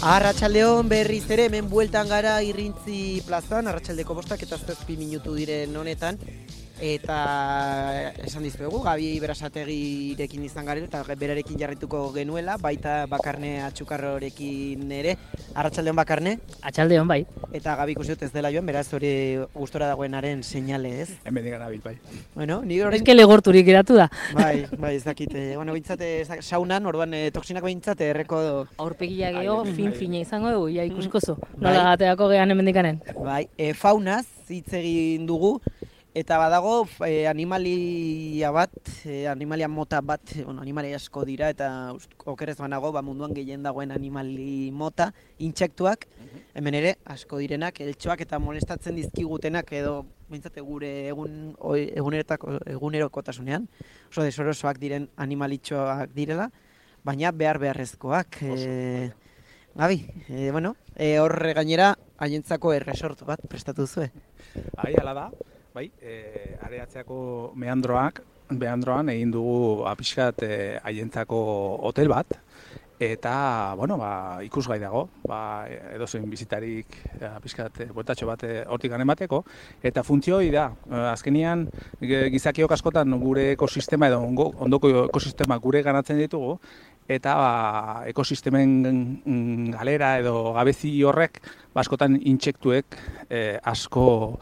Arratsaldeon berriz ere hemen bueltan gara Irrintzi plazan, arratsaldeko 5 eta 7 minutu diren honetan. Eta esan dizuegu, Gabi Berasategirekin izan garen eta berarekin jarrituko genuela, baita Bakarne Atxukarrorekin ere. Arratsaldeon Bakarne? Atxaldeon bai. Eta Gabi ikusi dut ez dela joan, beraz hori gustora dagoenaren seinale, ez? Hemen digan abil, bai. Bueno, ni orain... Eske legorturik geratu da. Bai, ez dakit. Bueno, bintzat saunan, orduan toksinak bintzat erreko... Aurpegia geho, fin-fina izango dugu, ja ikusiko zu. Nola gateako gehan hemendikanen. Bai, faunaz hitz egin dugu. Eta badago animalia bat, animalia mota bat, bueno, animali asko dira eta okerez banago munduan gehien dagoen animali mota, intsektuak, hemen ere asko direnak, eltxoak eta molestatzen dizkigutenak edo bintzate gure egunerokotasunean, oso desorosoak diren animalitxoak direla, baina beharrezkoak. Gabi, hor gainera haientzako erresortu bat prestatu zuen. Hala da. Bai, areatzeako meandroan egin dugu pixkat haientzako hotel bat, eta, ikusgai dago, edozein bizitarik pixkat bueltatxo bat hortik emateko, eta funtzio hori da, azkenian gizakiok askotan gure ekosistema edo ondoko ekosistema gure ganatzen ditugu, eta ekosistemen galera edo gabezi horrek askotan intsektuek asko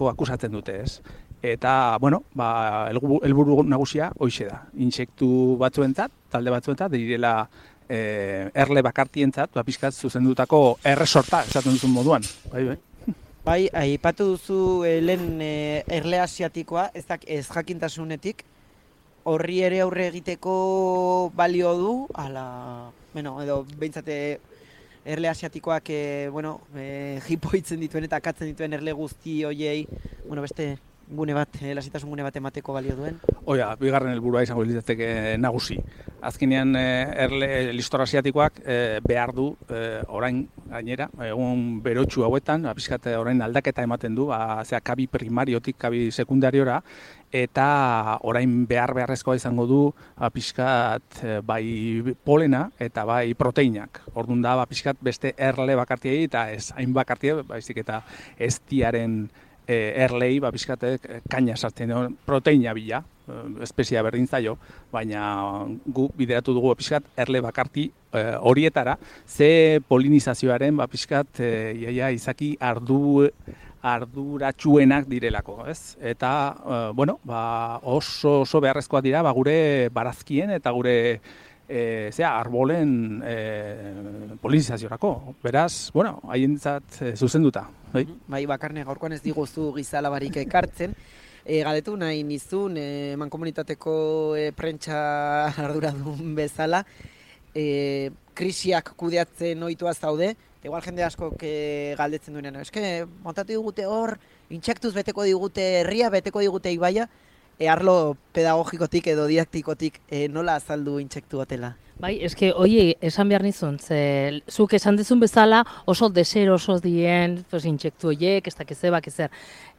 akusatzen dute, ez? Eta, helburu nagusia hoixe da. Intsektu batzuentzat, talde batzuentzat, direla erle bakartientzat, pixkat zuzendutako erresorta, esaten duzun moduan. Bai, aipatu duzu lehen erle asiatikoa, ez jakintasunetik, horri ere aurre egiteko balio du, edo behintzate erle asiatikoak jipoitzen dituen eta akatzen dituen erle guzti hoiei, beste gune bat, lasitasun gune bat emateko balio duen. Oia, bigarren helburua izango litzateke nagusi. Azkenean erle listor asiatikoak behar du orain gainera, egun berotsu hauetan, pixkat orain aldaketa ematen du, kabi primariotik kabi sekundariora, eta orain beharrezkoa izango du pixkat bai polena eta bai proteinak. Orduan da pixkat beste erle bakartiei eta ez hain bakartiei, baizik eta eztiaren erlei pixkatek kaina sartzen duen proteina bila, espezia berdin zaio, baina gu bideratu dugu pixkat erle bakarti horietara, ze polinizazioaren pixkat izaki arduratsuenak direlako, ez? Eta, oso beharrezkoak dira gure barazkien eta gure arbolen polinizaziorako. Beraz, haientzat zuzenduta. Bai, Bakarne, gaurkoan ez diguzu gizalabarik ekartzen. Galetu nahi nizun, mankomunitateko prentsa arduradun bezala, krisiak kudeatzen ohituaz zaude, igual jende asko galdetzen duenean, eske montatu digute hor, intsektuz beteko digute herria, beteko digute ibaia, arlo pedagogikotik edo didaktikotik nola azaldu intsektu hotela? Bai, eske, esan behar nizun, zuk esan dezun bezala oso deseroso dien intsektu horiek, ez dakiz zebak ezer.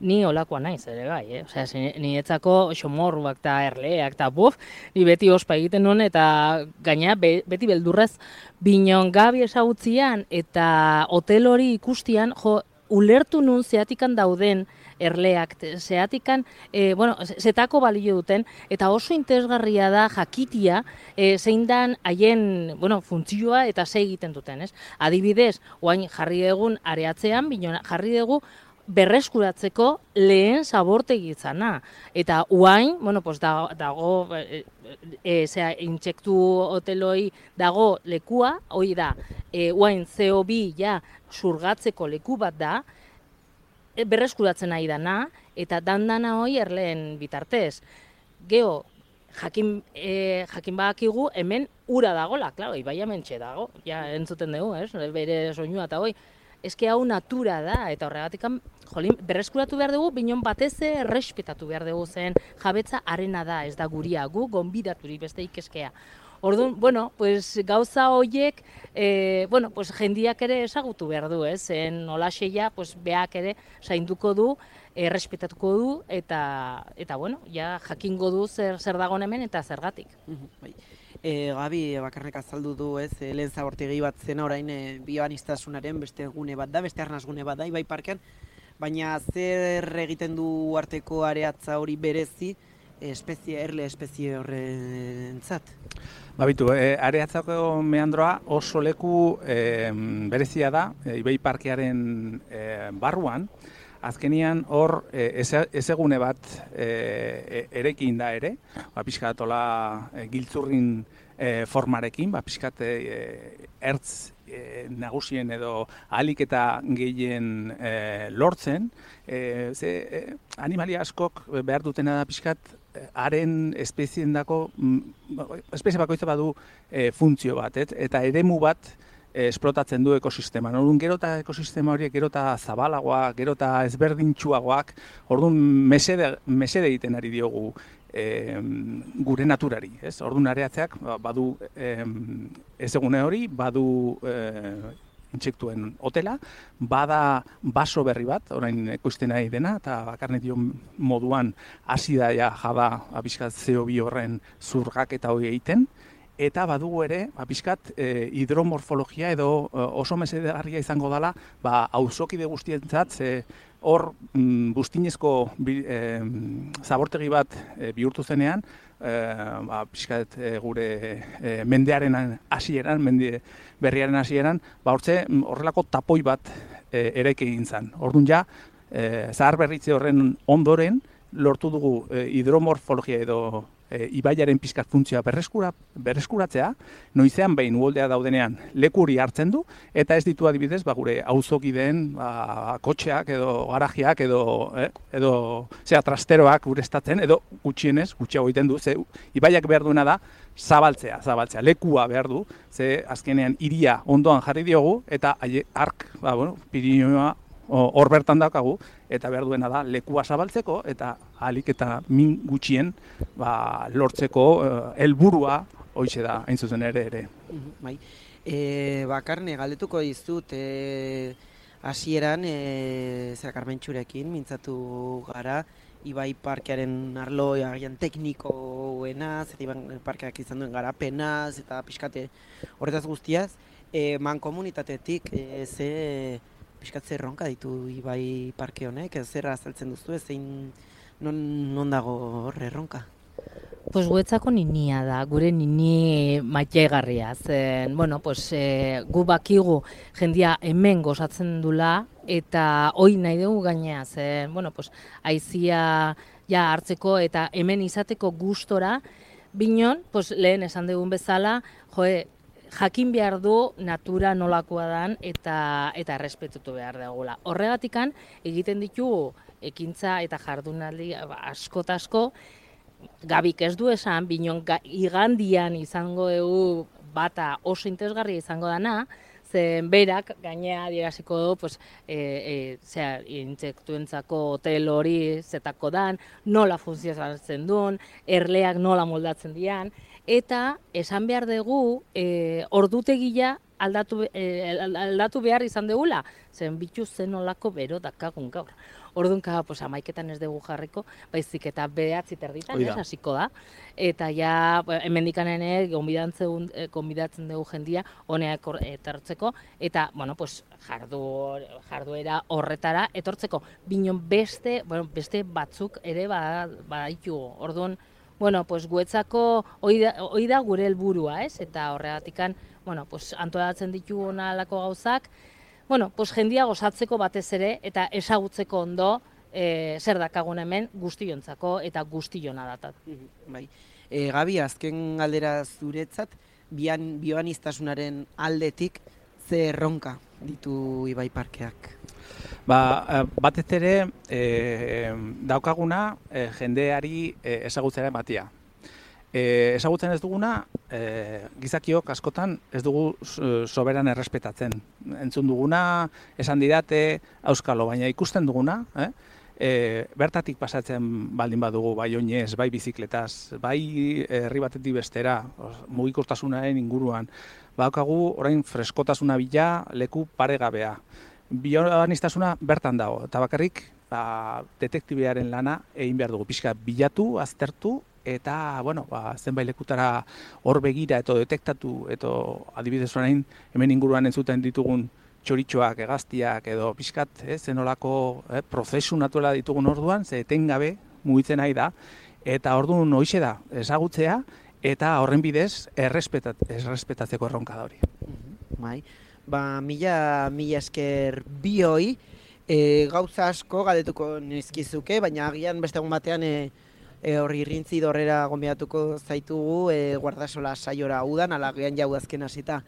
Ni olakoa naiz ere bai, ni etzako xomorruak eta erleak eta ni beti ospa egiten nuen eta gaina beti beldurrez binon Gabi esagutzian eta hotel hori ikustian, ulertu nun zeatikan dauden erleak, zeatikan, zetako balio duten, eta oso interesgarria da jakitia zein dan haien funtzioa eta ze egiten duten, ez? Adibidez, oain jarri egun areatzean, jarri dugu berreskuratzeko lehen zabortegi izana. Eta oain, dago, intsektu hoteloi dago lekua, hori da, oain CO2 surgatzeko leku bat da, berreskuratzen nahi dana, eta dandana hori erleen bitartez. Geo, jakin badakigu hemen ura dagola, klaro, ibaia mentxe dago, entzuten dugu, bere soinua eta hori. Eske hau natura da, eta horregatik berreskuratu behar dugu, binon batez errespetatu behar dugu zen jabetza arena da, ez da guria, gu gonbidaturik beste ikeskea. Orduan, bueno, pues gauza horiek, bueno, pues jendiak ere ezagutu behar du, ez? Zen olaxeia, pues beak ere zainduko du, errespetatuko du, eta bueno, ja jakingo du zer dagoen hemen eta zergatik. Bai. Gabi bakarrik azaldu du, ez, lehen zabortegi bat zena orain bioanistasunaren beste gune bat da, beste arnasgune bat da, Ibai Parkean, baina zer egiten du arteko areatza hori berezi, erle espezie horrentzat? Babitu, areatzako meandroa oso leku berezia da, Ibai Parkearen barruan, azkenian hor ezegune bat erekin da ere, pixkat giltzurrin formarekin, pixkat ertz nagusien edo ahalik eta gehien lortzen, animalia askok behar dutena da pixkat haren espeziendako, espezie bakoitza badu funtzio bat, eta eremu bat esplotatzen du ekosisteman. Orduan, gero eta ekosistema horiek gero eta zabalagoak, gero eta ezberdintsuagoak, orduan mesede egiten ari diogu gure naturari. Orduan, areatzeak badu ezegune hori, badu intsektuen hotela, bada baso berri bat, orain ekoizten ari dena, eta bakarnetio moduan hasi da jada pixkat CO2 horren zurgak eta hori egiten, eta badugu ere, pixkat hidromorfologia edo oso mesedegarria izango dela, auzokide guztientzat, hor buztinezko zabortegi bat bihurtu zenean, pixkat gure mendearen hasieran, mende berriaren hasieran, hortze horrelako tapoi bat eraiki egin zen. Orduan ja, zahar berritze horren ondoren, lortu dugu hidromorfologia edo ibaiaren pixkat funtzioa berreskuratzea, noizean behin uholdea daudenean lekuri hartzen du, eta ez ditu adibidez gure auzokideen kotxeak edo garajiak edo trasteroak ureztatzen, edo gutxiago egiten du, ze ibaiak behar duena da zabaltzea, lekua behar du, ze azkenean hiria ondoan jarri diogu, eta ark, Pirinioa hor bertan daukagu, eta behar duena da lekua zabaltzeko, eta ahalik eta min gutxien lortzeko helburua hoize da, hain zuzen ere. Bai. Bakarne, galdetuko dizut, hasieran Karmentxurekin mintzatu gara, Ibai Parkearen arlo agian teknikoenaz, eta Ibai Parkeak izan duen garapenaz, eta pixkate horretaz guztiaz, mankomunitatetik pixkatze erronka ditu Ibai Parke honek, zer azaltzen duzu, non dago horre erronka? Pues guetzako ninia da, gure nini maitegarria. Zen, gu bakigu jendia hemen gozatzen dula, eta hoi nahi dugu gainea, zen, aizia ja hartzeko eta hemen izateko gustora, binon, lehen esan dugun bezala, jakin behar du natura nolakoa dan eta errespetutu behar dugula. Horregatikan egiten ditugu ekintza eta jardunaldi asko, Gabik ez du esan, binon igandian izango dugu bata oso interesgarria izango dana, zen berak gainea adieraziko du, intsektuentzako hotel hori zetako dan, nola funtzionatzen duen, erleak nola moldatzen dian, eta esan behar dugu ordutegia aldatu behar izan dugula, zen bitu zen olako bero dakagun gaur. Orduan, amaiketan ez dugu jarriko, baizik eta 9:30 hasiko da. Eta ja, hemendikan konbidatzen dugu jendia honea etortzeko, eta, jarduera horretara etortzeko. Binon beste batzuk ere baditugu. Orduan, guetzako hori da gure helburua, ez? Eta horregatikan, antolatzen ditugu nalako gauzak, jendia gozatzeko batez ere eta ezagutzeko ondo zer dakagun hemen guztiontzako eta guztiona datat. Bai. Gabi, azken galdera zuretzat, bioanistasunaren aldetik ze erronka ditu Ibai Parkeak? Batez ere daukaguna jendeari ezagutzera ematia. Ezagutzen ez duguna, gizakiok askotan ez dugu soberan errespetatzen. Entzun duguna, esan didate, auskalo, baina ikusten duguna, bertatik pasatzen baldin badugu, bai oinez, bai bizikletaz, bai herri batetik bestera, mugikortasunaren inguruan, badaukagu orain freskotasuna bila leku paregabea. Bioaniztasuna bertan dago, eta bakarrik detektibearen lana egin behar dugu, pixka bilatu, aztertu, eta, bueno, zenbait lekutara hor begira edo detektatu, edo adibidez orain hemen inguruan entzuten ditugun txoritxoak, hegaztiak edo pixkat, zenolako prozesu natuela ditugun orduan, ze etengabe mugitzen nahi da, eta orduan hoixe da, ezagutzea, eta horren bidez errespetatzeko erronka da hori. Bai, mila esker bioi, gauza asko galdetuko nizkizuke, baina agian beste egun batean horri irrintzi dorrera gonbidatuko zaitugu Guardasola saiora udan, ala agian jau azken hasita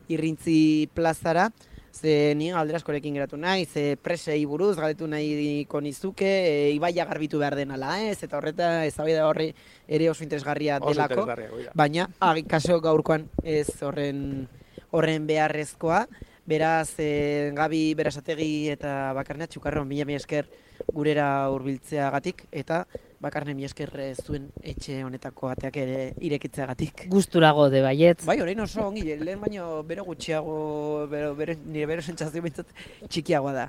irrintzi plazara, ze ni galdera askorekin geratu nahi, ze presei buruz galdetu nahiko nizuke, ibaia garbitu behar den ala ez, eta horreta eztabaida horri ere oso interesgarria delako, baina kaso gaurkoan ez horren beharrezkoa. Beraz, Gabi Berasategi eta Bakarne Txukarro, mila esker gurera hurbiltzeagatik, eta Bakarne mila esker zuen etxe honetako ateak ere irekitzeagatik. Gusturago de baietz. Bai, orain oso ongi, lehen baino bero gutxiago, nire bero sentsazio bintzat txikiagoa da.